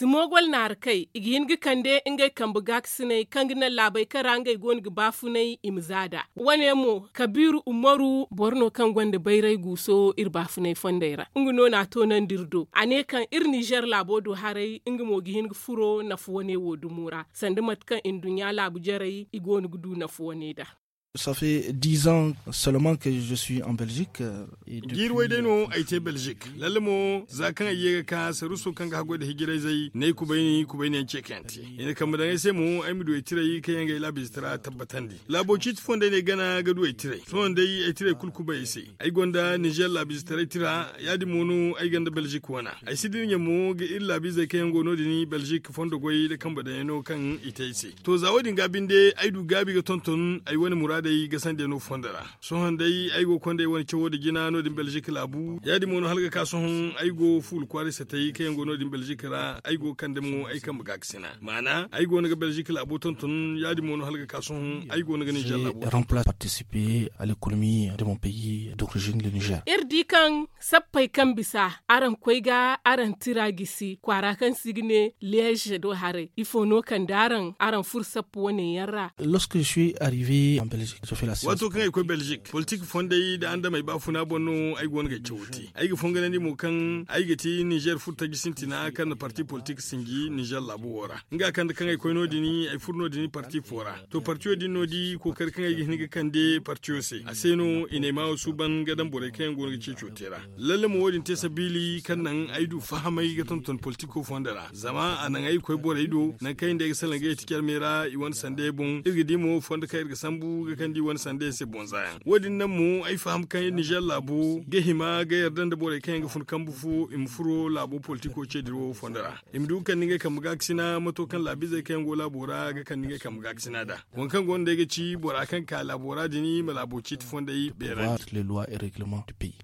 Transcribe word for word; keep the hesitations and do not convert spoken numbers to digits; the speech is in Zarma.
Simogol naara kay i ga hin ga kande ngey kambe gaakasiney kaŋ ga naŋ laabey kaŋ ra ngey go no ga baafunay i ma za nd'a. Wane mo kabiiru umaru boro no kaŋ gonda bayray guuso iri baafunay fondey ra nga no n'a toonandi iri do a ne kaŋ iri ninzeer laabo do haray nga mo ga hin ga furo nafa wane wo dumo ra sanda mate kaŋ nduɲɲa laabu jarey i go no ga du nafa wane nd'a. Ça fait dix ans seulement que je suis en Belgique. Jiiri way day no ay te belgique lalle mo za kaŋ ay ye ga ka saruso kaŋ ga haggoy nda hijirayzey ne ay kubayni kubayni yaŋ ce kaŋ yaŋ te i na kambe daŋ ay se mo ay ma du ay tiray kaŋ yaŋ ga ay laabiize tara tabbatandi. Laabo ciiti fondey no ay gana ga du ay tiray sohõ day ay tiray kulu kubay ay se. Ay gonda nizeer laabiize taray tira ya- din mo no ay gonda belgique wana. Ay si dira ɲa mo ga iri laabiizey kaŋ yaŋ go no- din belgique fondo goy nda kambe daŋ yaŋ no kaŋ i te ay se. To za wo- din ga binde ay du gaabi ga tonton ay wane muraadey ga sandiyaŋ no fondo ra. Sohõ day ay go ga konda ay wane cawo nda jina no- din belgique laabu ya- din mo no hala ga ka sohõ ay go fuula kwaaray satay kaŋ yaŋ go no- din belgique ra ay go ga kande mo ay kambe gaakasina maana ay go no ga belgique laabo tonton ya- din mo no hala ga ka sohõ ay go no ga ninzeer laabo. Remplace participer à l'économie de mon pays d'origine le nizeer. Iri di kaŋ sappey kaŋ bisa araŋ koy ga araŋ tira gisi kwaara kaŋ se i ga ne leeze do haray ifo no kande araŋ araŋ furo sappa wane yaŋ ra? Lorsque je suis arrivé en belgique je fais la science. Waato kaŋ ay koy belgique politik fondey nda andamey baafuna boŋ no ay go no ga ay cawo te ay ga fonganandi mo kaŋ ay ga ti nizeer furo taji sintina kaŋ na parti politik sinji nizeer laabo wo ra. Nga kande kaŋ ay koy no- din ay furo no- din parti fo ra. To partiyo din no di kookari kaŋ ay ga hin ga kande partiyo se a se no i na ay maawo suuban ga daŋ borey kaŋ yaŋ go no ga ceeco te ra. Lalle mo wo- din te sabiili kaŋ naŋ ay du fahamay ga tonton politiko fondo ra zama a naŋ ay ga koy borey do nangu kaŋ ay nda ay ga salaŋ ga yeti carmey ra i wane sandey boŋ iri ga di mo fondo kaŋ iri ga sambu ga kande i wane sandey se boŋ za yaŋ wo- din naŋ mo ay faham kaŋ nizeer laabo ga hima ga yarda nda borey kaŋ yaŋ ga fun kambu fo i ma furo laabo politiko ce dirawo fondo ra. I ma du ga kande ngey kambe gaakasina mato kaŋ laabiizey kaŋ yaŋ go laabo ra ga kande ngey kambe gaakasina nd'a. Waŋ kaŋ go no day ga ci bora kaŋ ga ka laabo ra din ma laabo ciiti fondey beerandi.